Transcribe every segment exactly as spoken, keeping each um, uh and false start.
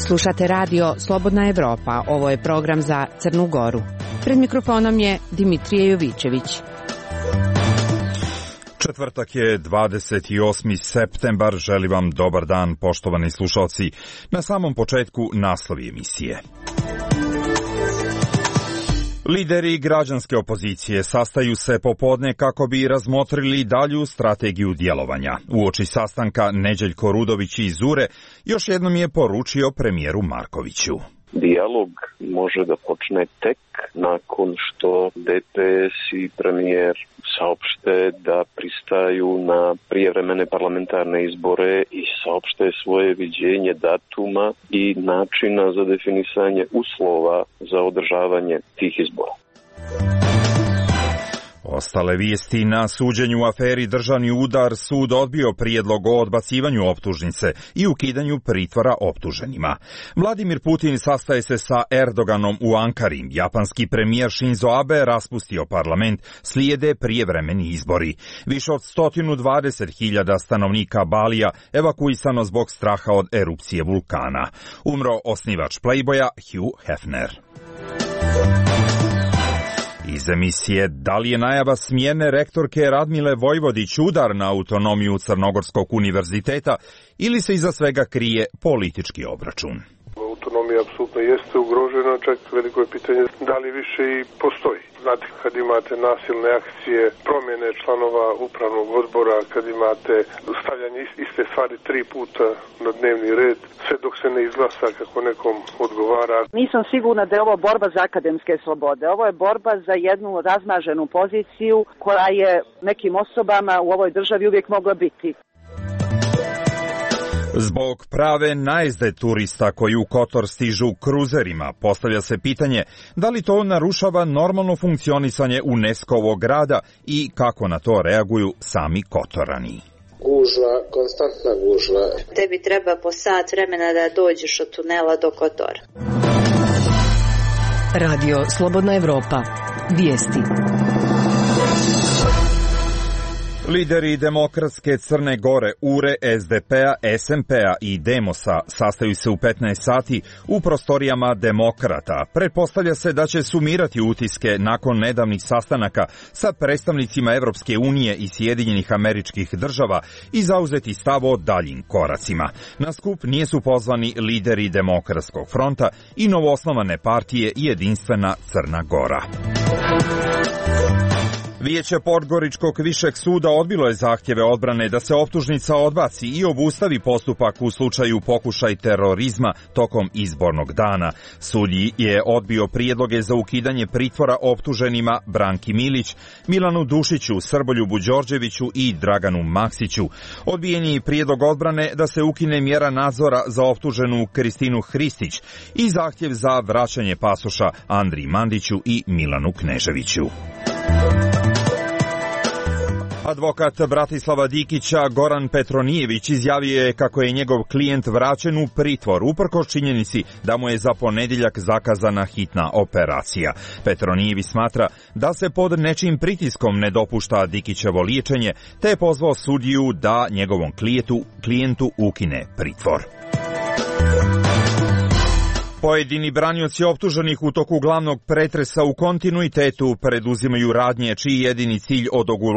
Slušate radio Slobodna Evropa, ovo je program za Crnu Goru. Pred mikrofonom je Dimitrije Jovićević. Četvrtak je dvadeset osmi septembar, želim vam dobar dan poštovani slušalci. Na samom početku naslovi emisije. Lideri građanske opozicije sastaju se popodne kako bi razmotrili dalju strategiju djelovanja. Uoči sastanka Neđeljko Rudović iz Zure još jednom je poručio premijeru Markoviću. Dijalog može da počne tek nakon što D P S i premijer saopšte da pristaju na prijevremene parlamentarne izbore i saopšte svoje viđenje datuma i načina za definisanje uslova za održavanje tih izbora. Ostale vijesti: na suđenju u aferi Državni udar sud odbio prijedlog o odbacivanju optužnice i ukidanju pritvora optuženima. Vladimir Putin sastaje se sa Erdoganom u Ankari. Japanski premijer Shinzo Abe raspustio parlament, slijede prijevremeni izbori. Više od sto dvadeset hiljada stanovnika Balija evakuisano zbog straha od erupcije vulkana. Umro osnivač Playboya Hugh Hefner. Iz emisije: da li je najava smjene rektorke Radmile Vojvodić udar na autonomiju Crnogorskog univerziteta ili se iza svega krije politički obračun? Autonomija apsolutno jeste ugrožena, čak veliko je pitanje da li više i postoji. Znate, kad imate nasilne akcije, promjene članova upravnog odbora, kad imate stavljanje iste stvari tri puta na dnevni red, sve dok se ne izglasa kako nekom odgovara. Nisam sigurna da je ovo borba za akademske slobode. Ovo je borba za jednu razmaženu poziciju koja je nekim osobama u ovoj državi uvijek mogla biti. Zbog prave najezde turista koji u Kotor stižu kruzerima, postavlja se pitanje da li to narušava normalno funkcionisanje UNESCO-ovog grada i kako na to reaguju sami Kotorani. Gužva, konstantna gužva. Tebi treba po sat vremena da dođeš od tunela do Kotora. Radio Slobodna Evropa. Vijesti. Lideri Demokratske Crne Gore, U R E, S D P-a, S M P-a i Demosa sastaju se u petnaest sati u prostorijama Demokrata. Pretpostavlja se da će sumirati utiske nakon nedavnih sastanaka sa predstavnicima Evropske unije i Sjedinjenih Američkih Država i zauzeti stav o daljim koracima. Na skup nisu pozvani lideri Demokratskog fronta i novoosnovane partije Jedinstvena Crna Gora. Vijeće Podgoričkog višeg suda odbilo je zahtjeve odbrane da se optužnica odbaci i obustavi postupak u slučaju pokušaj terorizma tokom izbornog dana. Sud je odbio prijedloge za ukidanje pritvora optuženima Branki Milić, Milanu Dušiću, Srboljubu Đorđeviću i Draganu Maksiću. Odbijen je prijedlog odbrane da se ukine mjera nadzora za optuženu Kristinu Hristić i zahtjev za vraćanje pasoša Andriji Mandiću i Milanu Kneževiću. Advokat Bratislava Dikića Goran Petronijević izjavio je kako je njegov klijent vraćen u pritvor uprkos činjenici da mu je za ponedjeljak zakazana hitna operacija. Petronijević smatra da se pod nečim pritiskom ne dopušta Dikićevo liječenje, te je pozvao sudiju da njegovom klijentu, klijentu ukine pritvor. Pojedini branioci optuženih u toku glavnog pretresa u kontinuitetu preduzimaju radnje čiji jedini cilj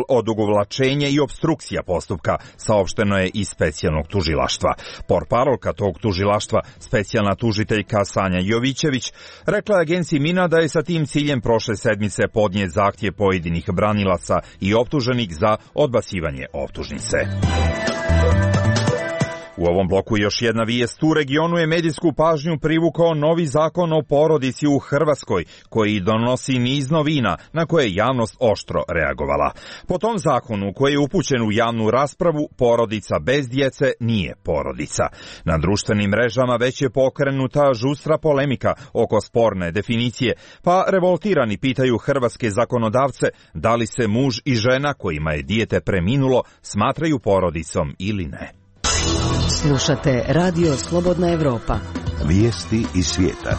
odugovlačenje i opstrukcija postupka, saopšteno je iz specijalnog tužilaštva. Portparolka tog tužilaštva, specijalna tužiteljka Sanja Jovićević, rekla je agenciji Mina da je sa tim ciljem prošle sedmice podnijet zahtjev pojedinih branilaca i optuženih za odbacivanje optužnice. U ovom bloku još jedna vijest. U regionu je medijsku pažnju privukao novi zakon o porodici u Hrvatskoj, koji donosi niz novina na koje je javnost oštro reagovala. Po tom zakonu, koji je upućen u javnu raspravu, porodica bez djece nije porodica. Na društvenim mrežama već je pokrenuta žustra polemika oko sporne definicije, pa revoltirani pitaju hrvatske zakonodavce da li se muž i žena kojima je dijete preminulo smatraju porodicom ili ne. Slušate Radio Slobodna Evropa. Vijesti iz svijeta.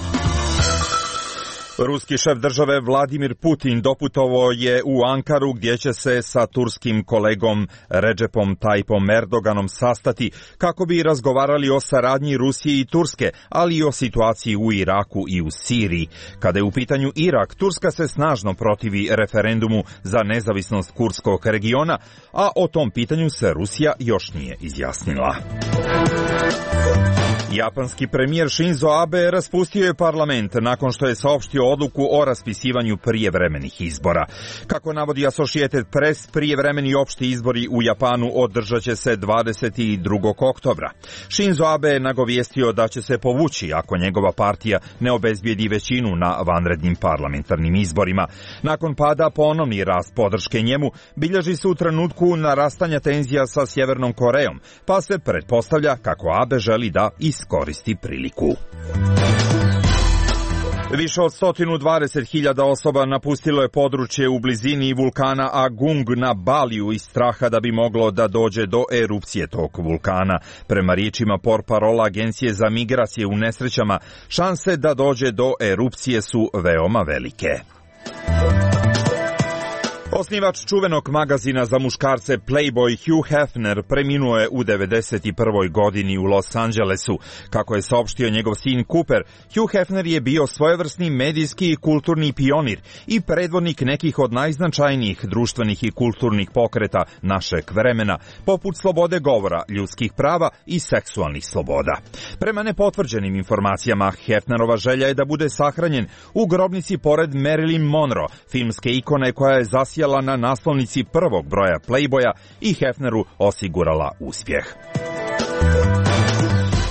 Ruski šef države Vladimir Putin doputovao je u Ankaru gdje će se sa turskim kolegom Recepom Tayyipom Erdoganom sastati kako bi razgovarali o saradnji Rusije i Turske, ali i o situaciji u Iraku i u Siriji. Kada je u pitanju Irak, Turska se snažno protivi referendumu za nezavisnost kurdskog regiona, a o tom pitanju se Rusija još nije izjasnila. Japanski premijer Shinzo Abe raspustio je parlament nakon što je saopštio odluku o raspisivanju prijevremenih izbora. Kako navodi Associated Press, prijevremeni opšti izbori u Japanu održat će se dvadeset drugog oktobra. Shinzo Abe je nagovijestio da će se povući ako njegova partija ne obezbijedi većinu na vanrednim parlamentarnim izborima. Nakon pada ponovni rast podrške njemu bilježi se u trenutku narastanja tenzija sa Sjevernom Korejom, pa se pretpostavlja kako Abe želi da iskoristi priliku. Više od sto dvadeset hiljada osoba napustilo je područje u blizini vulkana Agung na Baliju iz straha da bi moglo da dođe do erupcije tog vulkana. Prema riječima portparola Agencije za migracije u nesrećama, šanse da dođe do erupcije su veoma velike. Osnivač čuvenog magazina za muškarce Playboy Hugh Hefner preminuo je u devedeset prvoj godini u Los Angelesu. Kako je saopštio njegov sin Cooper, Hugh Hefner je bio svojevrsni medijski i kulturni pionir i predvodnik nekih od najznačajnijih društvenih i kulturnih pokreta našeg vremena, poput slobode govora, ljudskih prava i seksualnih sloboda. Prema nepotvrđenim informacijama, Hefnerova želja je da bude sahranjen u grobnici pored Marilyn Monroe, filmske ikone koja je zasijala na naslovnici prvog broja Playboya i Hefneru osigurala uspjeh.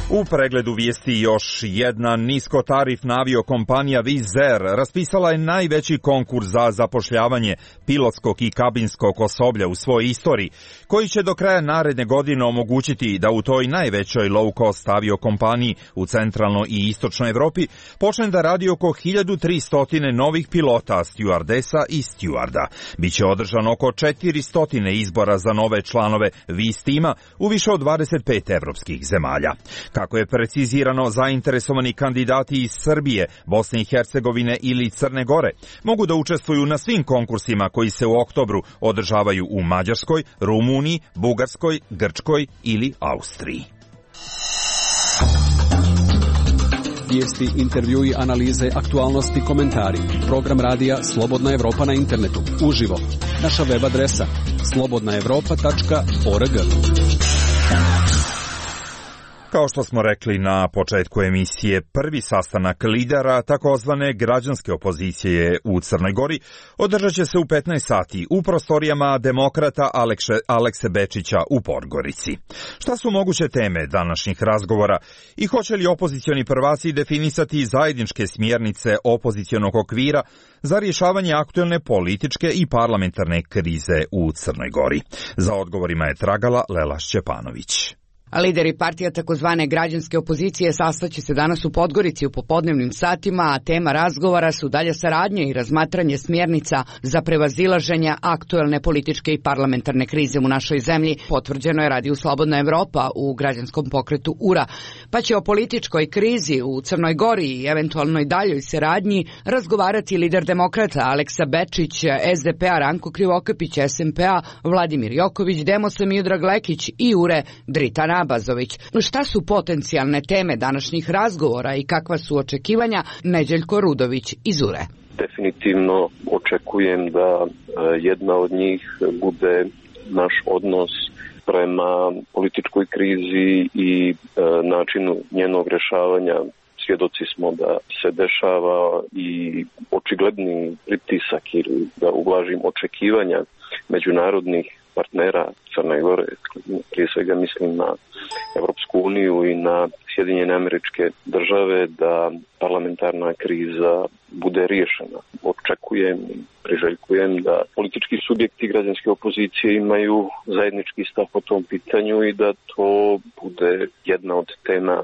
U pregledu vijesti još jedna niskotarifna aviokompanija Wizz Air raspisala je najveći konkurs za zapošljavanje pilotskog i kabinskog osoblja u svojoj istoriji, koji će do kraja naredne godine omogućiti da u toj najvećoj low-cost aviokompaniji u centralnoj i istočnoj Evropi počne da radi oko hiljadu tristo novih pilota, stjuardesa i stjuarda. Biće održano oko četiristo izbora za nove članove Wizz tima u više od dvadeset pet evropskih zemalja. Kako je precizirano, zainteresovani kandidati iz Srbije, Bosne i Hercegovine ili Crne Gore mogu da učestvuju na svim konkursima koji se u oktobru održavaju u Mađarskoj, Rumuniji, Bugarskoj, Grčkoj ili Austriji. Vijesti, intervjui, analize, aktualnosti, komentari. Program radija Slobodna Evropa na internetu. Uživo. Naša web adresa slobodna evropa tačka org. Kao što smo rekli na početku emisije, prvi sastanak lidera takozvane građanske opozicije u Crnoj Gori održat će se u petnaest sati u prostorijama demokrata Alekse, Alekse Bečića u Podgorici. Šta su moguće teme današnjih razgovora i hoće li opozicioni prvaci definisati zajedničke smjernice opozicionog okvira za rješavanje aktuelne političke i parlamentarne krize u Crnoj Gori? Za odgovorima je tragala Lela Šćepanović. Lideri partija takozvane građanske opozicije sastaće se danas u Podgorici u popodnevnim satima, a tema razgovora su dalja saradnja i razmatranje smjernica za prevazilaženje aktuelne političke i parlamentarne krize u našoj zemlji, potvrđeno je Radiju Slobodna Evropa u građanskom pokretu U R A. Pa će o političkoj krizi u Crnoj Gori i eventualnoj daljoj saradnji razgovarati lider demokrata Aleksa Bečić, S D P-a Ranko Krivokapić, S M P-a Vladimir Joković, Demosa Miodrag Lekić i U R E Dritana Abazović. Šta su potencijalne teme današnjih razgovora i kakva su očekivanja? Neđeljko Rudović iz U R E. Definitivno očekujem da jedna od njih bude naš odnos prema političkoj krizi i načinu njenog rješavanja. Svjedoci smo da se dešava i očigledni pritisak ili da ublažim očekivanja međunarodnih partnera Crne Gore, prije svega mislim na Evropsku uniju i na Sjedinjene Američke Države, da parlamentarna kriza bude riješena. Očekujem i priželjkujem da politički subjekti građanske opozicije imaju zajednički stav po tom pitanju i da to bude jedna od tema.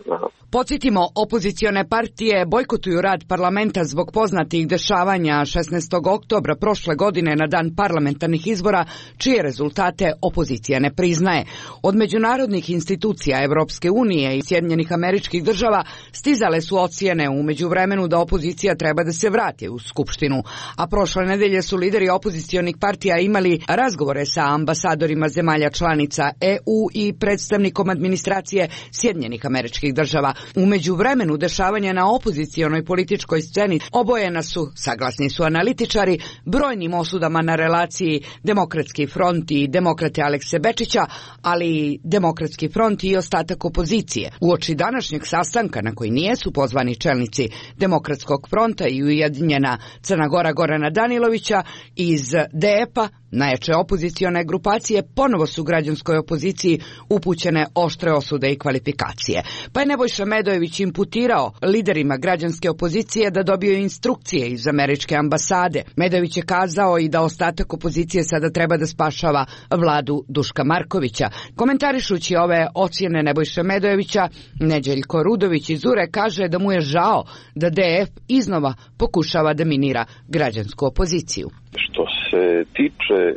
Podsjetimo, opozicione partije bojkotuju rad parlamenta zbog poznatih dešavanja šesnaestog oktobra prošle godine na dan parlamentarnih izbora, čije rezultate opozicija ne priznaje. Od međunarodnih institucija Evropske unije i Sjedinjenih američkih država stizale su ocjene u međuvremenu da opozicija treba da se vrati u Skupštinu, a prošle nedelje su lideri opozicionih partija imali razgovore sa ambasadorima zemalja članica E U i predstavnikom administracije Sjedinjenih američkih država. U međuvremenu dešavanja na opozicionoj političkoj sceni obojena su, saglasni su analitičari, brojnim osudama na relaciji Demokratski front i demokrate Alekse Bečića, ali i Demokratski front i ostatak opozicije. Uoči današnjeg sastanka na koji nijesu pozvani čelnici Demokratskog fronta i Ujedinjena Crna Gora Gorana Danilovića iz D E P-a, najjače opozicione grupacije, ponovo su građanskoj opoziciji upućene oštre osude i kvalifikacije. Pa je Nebojša Medojević imputirao liderima građanske opozicije da dobiju instrukcije iz američke ambasade. Medojević je kazao i da ostatak opozicije sada treba da spašava vladu Duška Markovića. Komentarišući ove ocjene Nebojše Medojevića, Neđeljko Rudović iz U R E kaže da mu je žao da D E F iznova pokušava da minira građansku opoziciju. Što se tiče e,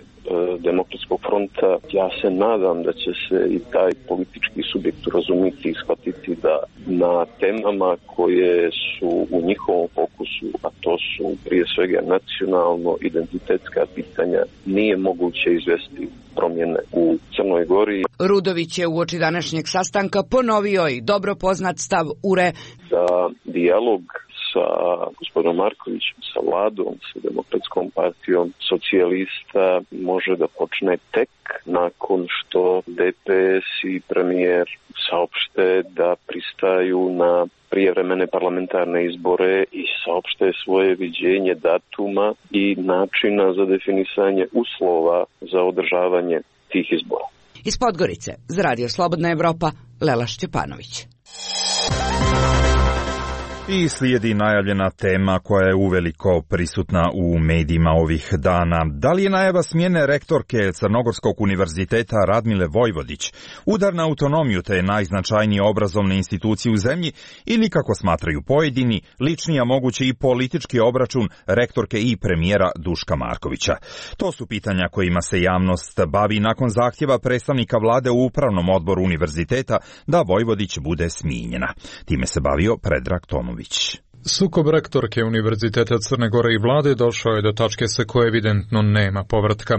Demokratskog fronta, ja se nadam da će se i taj politički subjekt razumiti i shvatiti da na temama koje su u njihovom fokusu, a to su prije svega nacionalno-identitetska pitanja, nije moguće izvesti promjene u Crnoj Gori. Rudović je uoči današnjeg sastanka ponovio i dobro poznat stav U R E da dijalog sa gospodinom Markovićem, sa vladom, sa Demokratskom partijom socijalista može da počne tek nakon što D P S i premijer saopšte da pristaju na prijevremene parlamentarne izbore i saopšte svoje viđenje datuma i načina za definisanje uslova za održavanje tih izbora. Iz Podgorice, za Radio Slobodna Evropa, Lela Šćepanović. I slijedi najavljena tema koja je uveliko prisutna u medijima ovih dana. Da li je najava smjene rektorke Crnogorskog univerziteta Radmile Vojvodić udar na autonomiju te najznačajnije obrazovne institucije u zemlji ili, kako smatraju pojedini, lični, a moguće i politički obračun rektorke i premijera Duška Markovića? To su pitanja kojima se javnost bavi nakon zahtjeva predstavnika vlade u upravnom odboru univerziteta da Vojvodić bude smijenjena. Time se bavio Predrag Tomović. Sukob rektorke Univerziteta Crne Gore i vlade došao je do tačke sa koje evidentno nema povratka.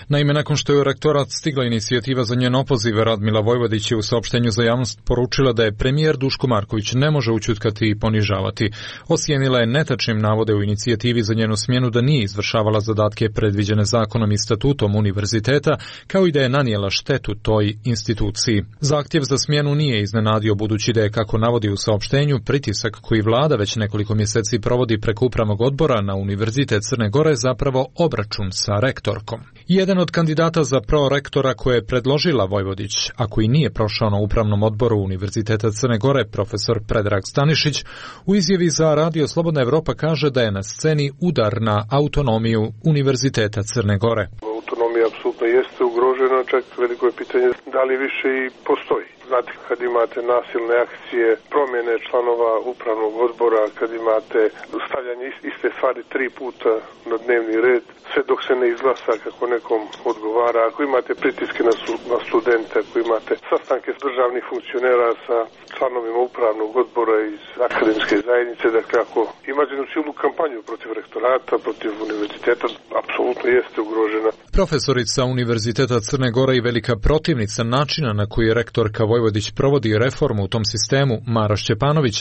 Naime, nakon što je u rektorat stigla inicijativa za njen opoziv, Radmila Vojvodić je u saopštenju za javnost poručila da je premijer Duško Marković ne može ućutkati i ponižavati. Osijenila je netačnim navode u inicijativi za njenu smjenu da nije izvršavala zadatke predviđene zakonom i statutom univerziteta, kao i da je nanijela štetu toj instituciji. Zahtjev za smjenu nije iznenadio, budući da je, kako navodi u saopštenju, pritisak koji vlada već nekoliko Nekoliko mjeseci provodi preko upravnog odbora na Univerzitet Crne Gore zapravo obračun sa rektorkom. Jedan od kandidata za prorektora koje je predložila Vojvodić, a koji nije prošao na upravnom odboru Univerziteta Crne Gore, profesor Predrag Stanišić, u izjavi za Radio Slobodna Evropa kaže da je na sceni udar na autonomiju Univerziteta Crne Gore. Autonomija apsolutno jeste ugrožena, čak veliko je pitanje da li više i postoji. Znate, kad imate nasilne akcije, promjene članova upravnog odbora, kad imate stavljanje iste stvari tri puta na dnevni red, sve dok se ne izglasa kako nekom odgovara, ako imate pritiske na, su, na studente, ako imate sastanke s državnih funkcionera sa članovima upravnog odbora iz akademske zajednice, dakle ako imate jednu cijelu kampanju protiv rektorata, protiv univerziteta, apsolutno jeste ugrožena. Profesorica Univerziteta Crne Gore i velika protivnica načina na koji rektorka Vojvodić provodi reformu u tom sistemu, Mara Šćepanović,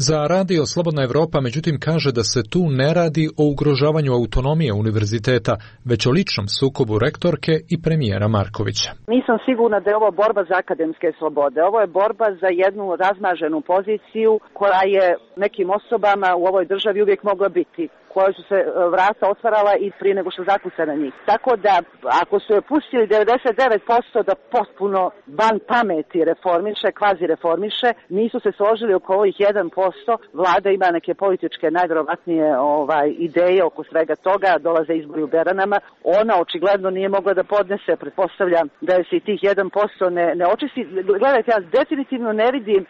za Radio Slobodna Evropa međutim kaže da se tu ne radi o ugrožavanju autonomije univerziteta, već o ličnom sukobu rektorke i premijera Markovića. Nisam sigurna da je ovo borba za akademske slobode. Ovo je borba za jednu razmaženu poziciju koja je nekim osobama u ovoj državi uvijek mogla biti, koje su se vrata otvarala i prije nego što zakuca na njih. Tako da, ako su je pustili devedeset devet posto da potpuno van pameti reformiše, kvazi reformiše, nisu se složili oko ovih jedan posto, vlada ima neke političke najvjerovatnije ovaj, ideje oko svega toga, dolaze izbori u Beranama, ona očigledno nije mogla da podnese, pretpostavljam da je se i tih jedan posto ne, ne očisti. Gledajte, ja definitivno ne vidim uh,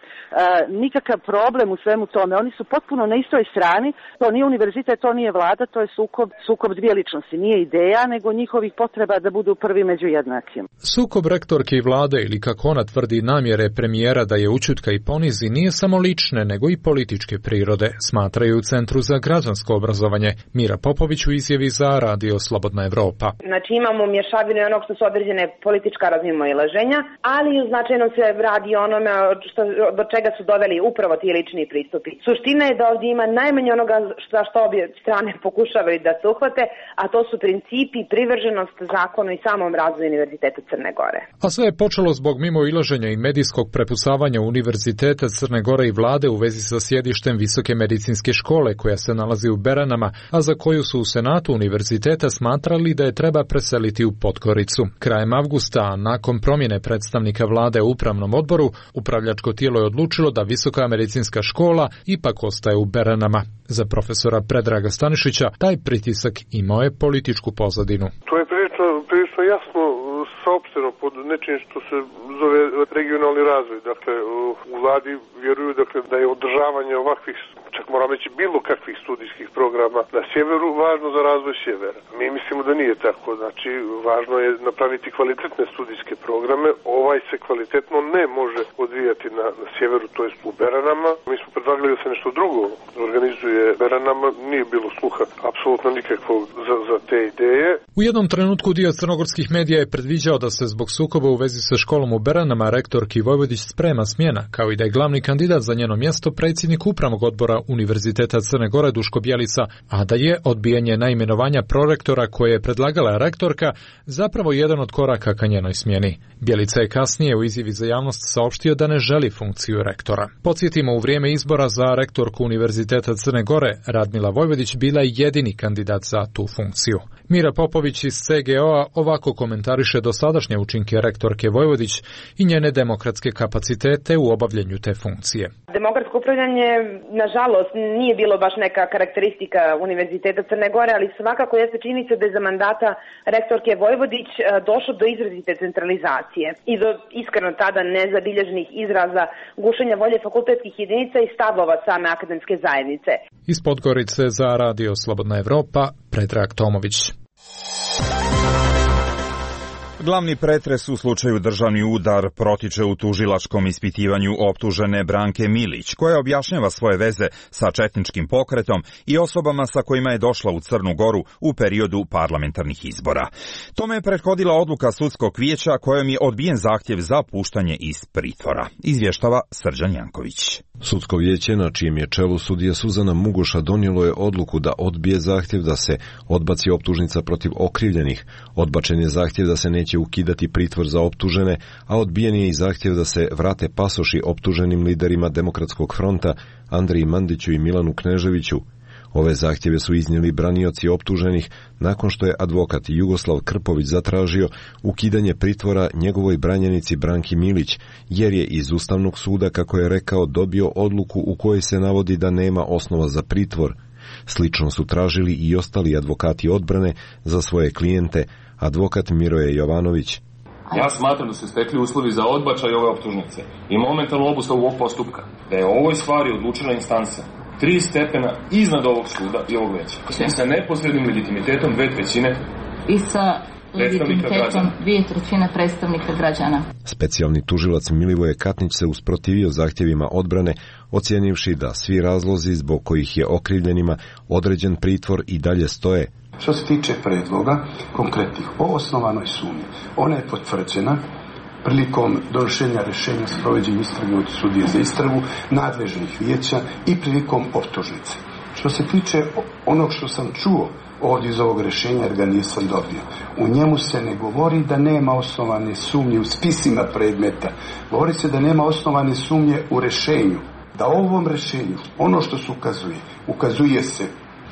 nikakav problem u svemu tome, oni su potpuno na istoj strani, to nije univerzitet, to nije vlada, to je sukob, sukob dvije ličnosti, nije ideja, nego njihovih potreba da budu prvi među jednakim. Sukob rektorke i vlade, ili kako ona tvrdi namjere premijera da je ućutka i ponizi nije samo lične, nego i političke prirode, smatraju u Centru za građansko obrazovanje. Mira Popović u izjavi za Radio Slobodna Evropa. Znači imamo mješavinu onog što su određene politička razmimoilaženja, ali značajno se radi onome što, do čega su doveli upravo ti lični pristupi. Suština je da ovdje ima najmanje onoga za što obje strane pokušavaju da se uhvate, a to su principi, privrženost zakonu i samom razvoju Univerziteta Crne Gore. A sve je počelo zbog mimoilaženja i medijskog prepusavanja Univerziteta Crne Gore i vlade u vezi sa sjedištem Visoke medicinske škole koja se nalazi u Beranama, a za koju su u Senatu univerziteta smatrali da je treba preseliti u Podgoricu. Krajem avgusta, nakon promjene predstavnika vlade u upravnom odboru, upravljačko tijelo je odlučilo da Visoka medicinska škola ipak ostaje u Beranama. Za profesora Predraga Stanišića taj pritisak imao je političku pozadinu. To je prilično, prilično jasno saopšteno pod nečim što se zove regionalni razvoj. Dakle, u vladi vjeruju dakle, da je održavanje ovakvih, čak moram reći bilo kakvih studijskih programa na sjeveru važno za razvoj sjevera. Mi mislimo da nije tako. Znači, važno je napraviti kvalitetne studijske programe. Ovaj se kvalitetno ne može odvijati na, na sjeveru, to jest u Beranama. Mi smo predlagali da se nešto drugo organizuje Beranama. Nije bilo sluha apsolutno nikakvog za, za te ideje. U jednom trenutku dio crnogorskih medija je predviđao da se zbog sukoba u vezi sa školom u Beranama rektorki Vojvodić sprema smjena, kao i da je glavni kandidat za njeno mjesto predsjednik upravnog odbora Univerziteta Crne Gore Duško Bjelica, a da je odbijanje naimenovanja prorektora koje je predlagala rektorka zapravo jedan od koraka ka njenoj smjeni. Bjelica je kasnije u izjavi za javnost saopštio da ne želi funkciju rektora. Podsjetimo, u vrijeme izbora za rektorku Univerziteta Crne Gore Radmila Vojvodić bila je jedini kandidat za tu funkciju. Mira Popović iz C G O-a ovako komentariše dosadašnje učinke rektorke Vojvodić i njene demokratske kapacitete u obavljanju te funkcije. Demokratsko upravljanje, nažalost, nije bilo baš neka karakteristika Univerziteta Crne Gore, ali svakako jeste činjenica da je za mandata rektorke Vojvodić došlo do izrazite centralizacije i do iskreno tada nezabilježenih izraza gušenja volje fakultetskih jedinica i stavova same akademske zajednice. Iz Podgorice za Radio Slobodna Evropa, Predrag Tomović. Glavni pretres u slučaju državni udar protiče u tužilačkom ispitivanju optužene Branke Milić, koja objašnjava svoje veze sa četničkim pokretom i osobama sa kojima je došla u Crnu Goru u periodu parlamentarnih izbora. Tome je prethodila odluka sudskog vijeća kojom je odbijen zahtjev za puštanje iz pritvora, izvještava Srđan Janković. Sudsko vijeće, na čijem je čelu sudija Suzana Mugoša, donijelo je odluku da odbije zahtjev da se odbaci optužnica protiv okrivljenih. Odbačen je zahtjev da se neće ukidati pritvor za optužene, a odbijen je i zahtjev da se vrate pasoši optuženim liderima Demokratskog fronta Andriji Mandiću i Milanu Kneževiću. Ove zahtjeve su iznijeli branioci optuženih nakon što je advokat Jugoslav Krpović zatražio ukidanje pritvora njegovoj branjenici Branki Milić, jer je iz Ustavnog suda, kako je rekao, dobio odluku u kojoj se navodi da nema osnova za pritvor. Slično su tražili i ostali advokati odbrane za svoje klijente, advokat Miroje Jovanović. Ja smatram da su stekli uslovi za odbačaj ove optužnice i momentalnu obustavu ovog postupka, da je o ovoj stvari odlučila instanca tri stepena iznad ovog suda i ovog veća. I sa neposrednim legitimitetom dve trećine i sa legitimitetom dvije trećine predstavnika građana. Specijalni tužilac Milivoje Katnić se usprotivio zahtjevima odbrane, ocijenivši da svi razlozi zbog kojih je okrivljenima određen pritvor i dalje stoje. Što se tiče predloga konkretnih o osnovanoj sumnji, ona je potvrđena prilikom donošenja rješenja s provođenjem istrage od sudije za istragu, nadležnih vijeća i prilikom optužnice. Što se tiče onog što sam čuo ovdje iz ovog rješenja, jer ga nisam dobio, u njemu se ne govori da nema osnovane sumnje u spisima predmeta. Govori se da nema osnovane sumnje u rješenju. Da u ovom rješenju, ono što se ukazuje, ukazuje se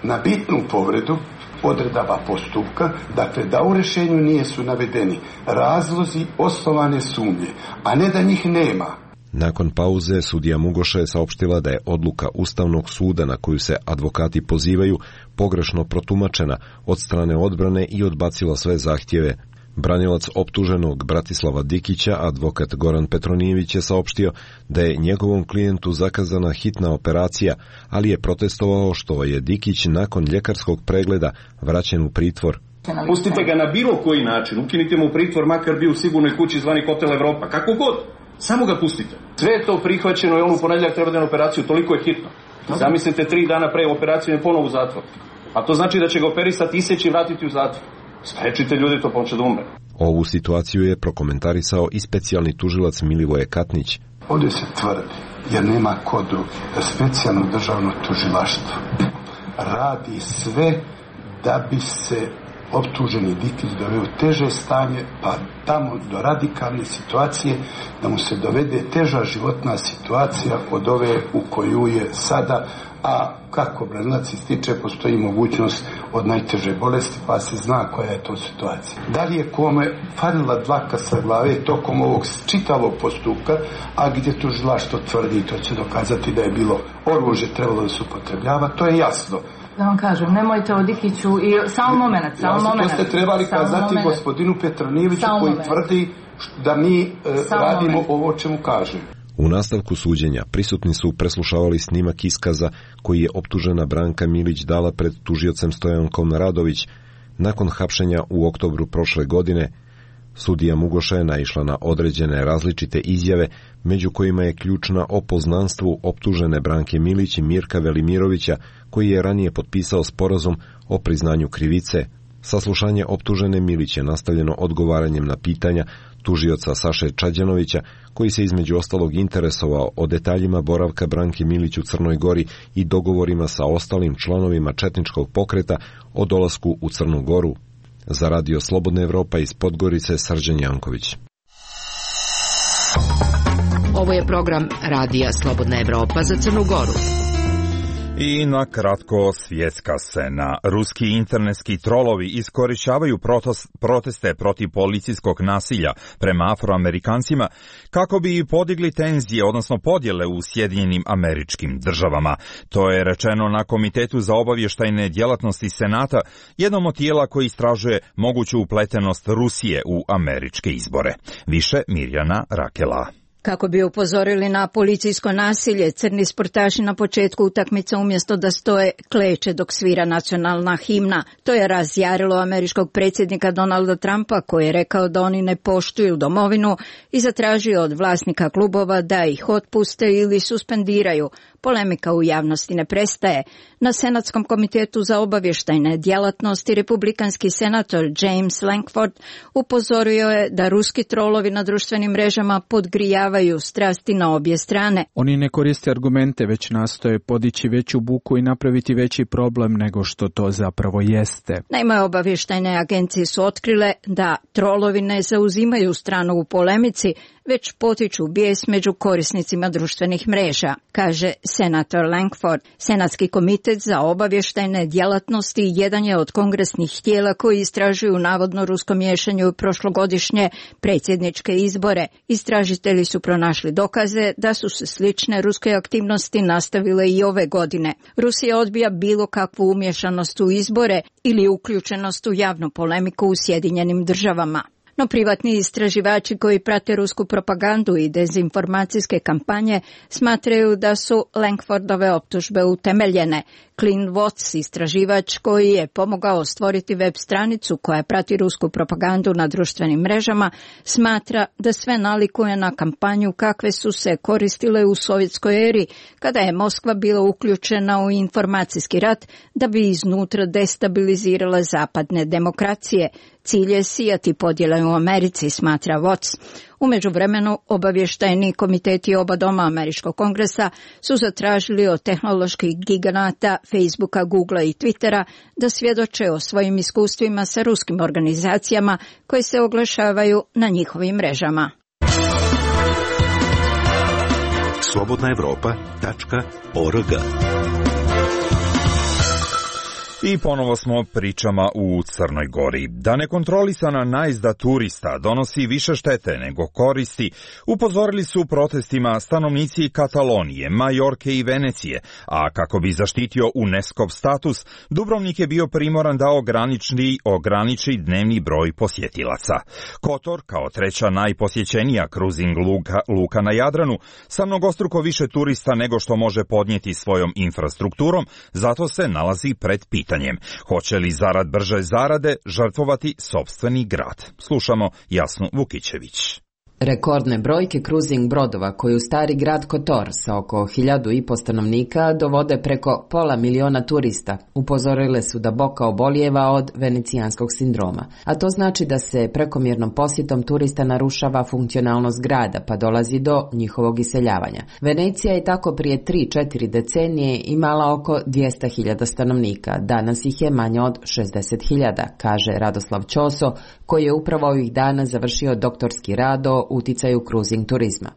na bitnu povredu odredaba postupka, dakle da u rješenju nije su navedeni razlozi osnovane sumnje, a ne da njih nema. Nakon pauze sudija Mugoša je saopštila da je odluka Ustavnog suda na koju se advokati pozivaju pogrešno protumačena od strane odbrane i odbacila sve zahtjeve. Branilac optuženog Bratislava Dikića, advokat Goran Petronijević, je saopštio da je njegovom klijentu zakazana hitna operacija, ali je protestovao što je Dikić nakon ljekarskog pregleda vraćen u pritvor. Pustite ga na bilo koji način, ukinite mu pritvor, makar bio u sigurnoj kući zvani Hotel Evropa, kako god. Samo ga pustite. Sve je to prihvaćeno i on u ponedjeljak treba da na operaciju, toliko je hitno. Zamislite, tri dana pre operacije je ponovo u zatvor. A to znači da će ga operisati, iseći i vratiti u zatvor. Sprečite ljudi, to pomoće da umre. Ovu situaciju je prokomentarisao i specijalni tužilac Milivoje Katnić. Ovdje se tvrdi, jer nema kodu, da specijalno državno tužilaštvo radi sve da bi se optuženi Dikić doveo u teže stanje, pa tamo do radikalne situacije, da mu se dovede teža životna situacija od ove u koju je sada, a kako branilac ističe, postoji mogućnost od najteže bolesti, pa se zna koja je to situacija. Da li je kome falila dlaka sa glave tokom ovog čitavog postupka, a gdje tužilaštvo tvrdi, to će dokazati da je bilo oružje trebalo da se upotrebljava, to je jasno. Da vam kažem, nemojte o Dikiću i samo moment, samo ja, moment. To ste trebali kazati gospodinu Petronijeviću koji moment. Tvrdi da mi e, radimo moment. Ovo čemu kaže. U nastavku suđenja prisutni su preslušavali snimak iskaza koji je optužena Branka Milić dala pred tužiocem Stojankom Radović nakon hapšenja u oktobru prošle godine. Sudija Mugoša je naišla na određene različite izjave, među kojima je ključna o poznanstvu optužene Branke Milić i Mirka Velimirovića, koji je ranije potpisao sporazum o priznanju krivice. Saslušanje optužene Milić je nastavljeno odgovaranjem na pitanja tužioca Saše Čađanovića, koji se između ostalog interesovao o detaljima boravka Branke Milić u Crnoj Gori i dogovorima sa ostalim članovima četničkog pokreta o dolasku u Crnu Goru. Za Radio Slobodna Evropa iz Podgorice, Srđan Janković. Ovo je program Radija Slobodna Evropa za Crnu Goru. I na kratko svjetska scena. Ruski internetski trolovi iskorišćavaju proteste protiv policijskog nasilja prema afroamerikancima kako bi podigli tenzije, odnosno podjele u Sjedinjenim Američkim Državama. To je rečeno na Komitetu za obavještajne djelatnosti Senata, jednom od tijela koji istražuje moguću upletenost Rusije u američke izbore. Više Mirjana Rakela. Kako bi upozorili na policijsko nasilje, crni sportaši na početku utakmice umjesto da stoje kleče dok svira nacionalna himna. To je razjarilo američkog predsjednika Donalda Trumpa, koji je rekao da oni ne poštuju domovinu i zatražio od vlasnika klubova da ih otpuste ili suspendiraju. Polemika u javnosti ne prestaje. Na Senatskom komitetu za obavještajne djelatnosti republikanski senator James Lankford upozorio je da ruski trolovi na društvenim mrežama podgrijavaju strasti na obje strane. Oni ne koriste argumente, već nastoje podići veću buku i napraviti veći problem nego što to zapravo jeste. Naime, obavještajne agencije su otkrile da trolovi ne zauzimaju stranu u polemici, već potiču bijes među korisnicima društvenih mreža, kaže senator Lankford. Senatski komitet za obavještajne djelatnosti jedan je od kongresnih tijela koji istražuju navodno rusko miješanje u prošlogodišnje predsjedničke izbore. Istražitelji su pronašli dokaze da su se slične ruske aktivnosti nastavile i ove godine. Rusija odbija bilo kakvu umješanost u izbore ili uključenost u javnu polemiku u Sjedinjenim Državama. No privatni istraživači koji prate rusku propagandu i dezinformacijske kampanje smatraju da su Lankfordove optužbe utemeljene. Clint Watts, istraživač koji je pomogao stvoriti web stranicu koja prati rusku propagandu na društvenim mrežama, smatra da sve nalikuje na kampanju kakve su se koristile u sovjetskoj eri, kada je Moskva bila uključena u informacijski rat da bi iznutra destabilizirala zapadne demokracije. Cilj je sijati podjele u Americi, smatra Watts. U međuvremenu obavještajni komiteti oba doma Američkog kongresa su zatražili od tehnoloških giganata Facebooka, Googlea i Twittera da svjedoče o svojim iskustvima sa ruskim organizacijama koje se oglašavaju na njihovim mrežama. slobodna evropa tačka org. I ponovo smo pričama u Crnoj Gori. Da nekontrolisana najezda turista donosi više štete nego koristi, upozorili su protestima stanovnici Katalonije, Majorke i Venecije, a kako bi zaštitio UNESCO-v status, Dubrovnik je bio primoran da ograniči, ograniči dnevni broj posjetilaca. Kotor, kao treća najposjećenija kruzing luka, luka na Jadranu, sa mnogostruko više turista nego što može podnijeti svojom infrastrukturom, zato se nalazi pred pitanjem. Hoće li zarad brže zarade žrtvovati sopstveni grad? Slušamo Jasnu Vukićević. Rekordne brojke cruising brodova koju stari grad Kotor sa oko hiljadu i po stanovnika dovode preko pola miliona turista. Upozorile su da Boka obolijeva od venecijanskog sindroma. A to znači da se prekomjernom posjetom turista narušava funkcionalnost grada pa dolazi do njihovog iseljavanja. Venecija je tako prije tri četiri decenije imala oko dvjesto hiljada stanovnika. Danas ih je manje od šezdeset hiljada, kaže Radoslav Ćoso, koji je upravo ovih dana završio doktorski rad o uticaju cruising turizma.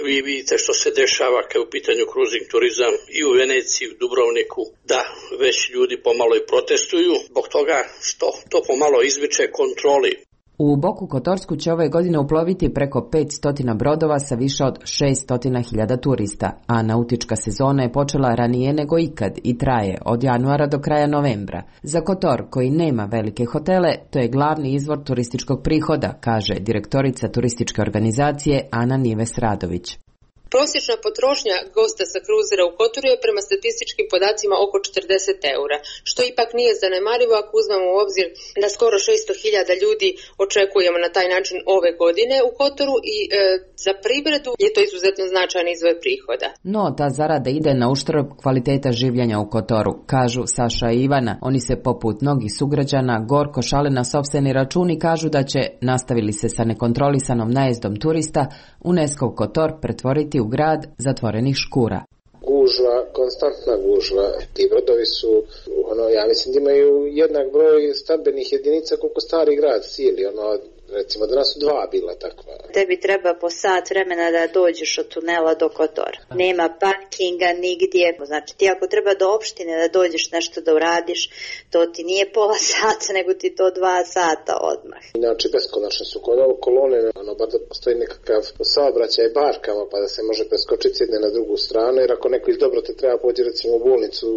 Vi vidite što se dešava kad je u pitanju cruising turizam i u Veneciji, u Dubrovniku, da već ljudi pomalo i protestuju zbog toga što to pomalo izmiče kontroli. U Boku Kotorsku će ove godine uploviti preko petsto brodova sa više od šesto hiljada turista, a nautička sezona je počela ranije nego ikad i traje od januara do kraja novembra. Za Kotor, koji nema velike hotele, to je glavni izvor turističkog prihoda, kaže direktorica turističke organizacije Ana Nives Radović. Prosječna potrošnja gosta sa kruzera u Kotoru je prema statističkim podacima oko četrdeset eura, što ipak nije zanemarivo ako uzmemo u obzir da skoro šesto hiljada ljudi očekujemo na taj način ove godine u Kotoru i e, za privredu je to izuzetno značajan izvor prihoda. No, ta zarada ide na uštrb kvaliteta življenja u Kotoru, kažu Saša i Ivana. Oni se poput mnogih sugrađana gorko šale na sopstveni račun i kažu da će, nastavili se sa nekontrolisanom najezdom turista, UNESCO Kotor pretvoriti u grad zatvorenih škura. Gužva, konstantna gužva. Ti brodovi su, ono, ja mislim da imaju jednak broj stambenih jedinica koliko stari grad cijeli, ono, recimo danas su dva bila takva. Tebi treba po sat vremena da dođeš od tunela do Kotora. Nema parkinga nigdje. Znači ti ako treba do opštine da dođeš nešto da uradiš, to ti nije pola sata, nego ti to dva sata odmah. Inače beskonačne su kolone, ono, bar da postoji nekakav saobraćaj barkama pa da se može preskočiti s jedne na drugu stranu, jer ako neko iz dobro te treba pođe recimo u bolnicu,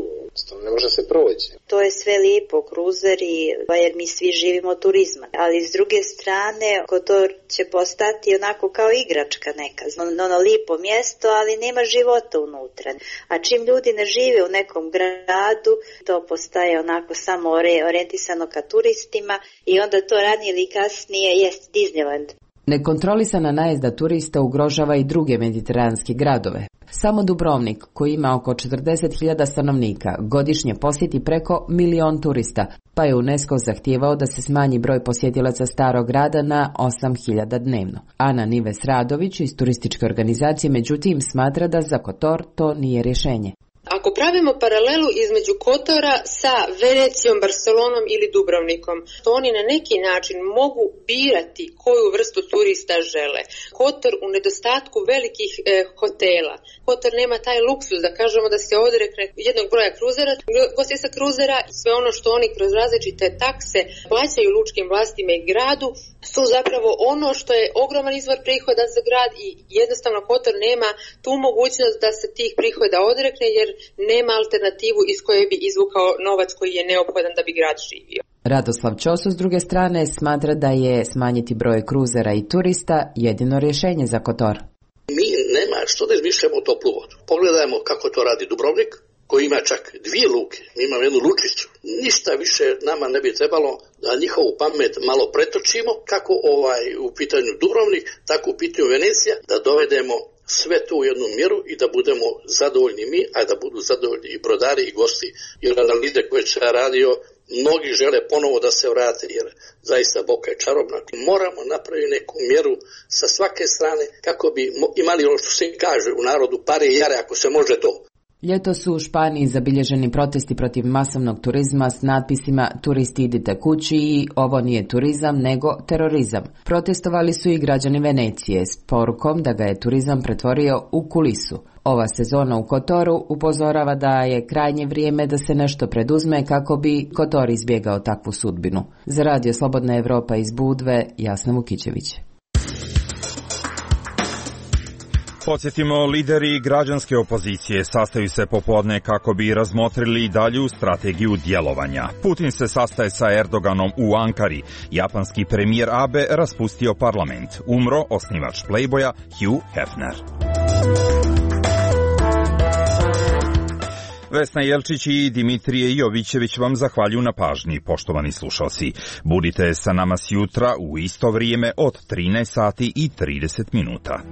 ne može se proći. To je sve lijepo, kruzeri, jer mi svi živimo od turizma, ali s druge strane Kotor će postati onako kao igračka neka, ono lijepo mjesto, ali nema života unutra. A čim ljudi ne žive u nekom gradu, to postaje onako samo orijentisano ka turistima i onda to ranije ili kasnije jest Disneyland. Nekontrolisana najezda turista ugrožava i druge mediteranske gradove. Samo Dubrovnik, koji ima oko četrdeset hiljada stanovnika, godišnje posjeti preko milion turista, pa je UNESCO zahtijevao da se smanji broj posjetilaca starog grada na osam hiljada dnevno. Ana Nives Radović iz turističke organizacije međutim smatra da za Kotor to nije rješenje. Ako pravimo paralelu između Kotora sa Venecijom, Barcelonom ili Dubrovnikom, to oni na neki način mogu birati koju vrstu turista žele. Kotor u nedostatku velikih e, hotela. Kotor nema taj luksus da kažemo da se odrekne jednog broja kruzera, gosti sa kruzera i sve ono što oni kroz različite takse plaćaju lučkim vlastima i gradu su zapravo ono što je ogroman izvor prihoda za grad i jednostavno Kotor nema tu mogućnost da se tih prihoda odrekne jer nema alternativu iz koje bi izvukao novac koji je neophodan da bi grad živio. Radoslav Ćoso s druge strane smatra da je smanjiti broj kruzera i turista jedino rješenje za Kotor. Mi nema što da izmišljamo toplu vodu. Pogledajmo kako to radi Dubrovnik, koji ima čak dvije luke. Mi imamo jednu lučicu. Ništa više nama ne bi trebalo da njihovu pamet malo pretočimo, kako ovaj u pitanju Dubrovnik, tako u pitanju Venecija, da dovedemo sve to u jednu mjeru i da budemo zadovoljni mi, a da budu zadovoljni i brodari i gosti. Jer analize koje se radio, mnogi žele ponovo da se vrate, jer zaista Boka je čarobna. Moramo napraviti neku mjeru sa svake strane kako bi imali ono što se kaže u narodu pare i jare, ako se može to. Ljeto su u Španiji zabilježeni protesti protiv masovnog turizma s natpisima "Turisti idite kući" i "Ovo nije turizam nego terorizam". Protestovali su i građani Venecije s porukom da ga je turizam pretvorio u kulisu. Ova sezona u Kotoru upozorava da je krajnje vrijeme da se nešto preduzme kako bi Kotor izbjegao takvu sudbinu. Za Radio Slobodna Evropa iz Budve, Jasna Vukićević. Podsjetimo, lideri građanske opozicije sastaju se popodne kako bi razmotrili dalju strategiju djelovanja. Putin se sastaje sa Erdoganom u Ankari. Japanski premijer Abe raspustio parlament. Umro osnivač Playboya Hugh Hefner. Vesna Jelčić i Dimitrije Jovićević vam zahvaljuju na pažnji, poštovani slušalci. Budite sa nama sjutra u isto vrijeme od trinaest sati i trideset minuta.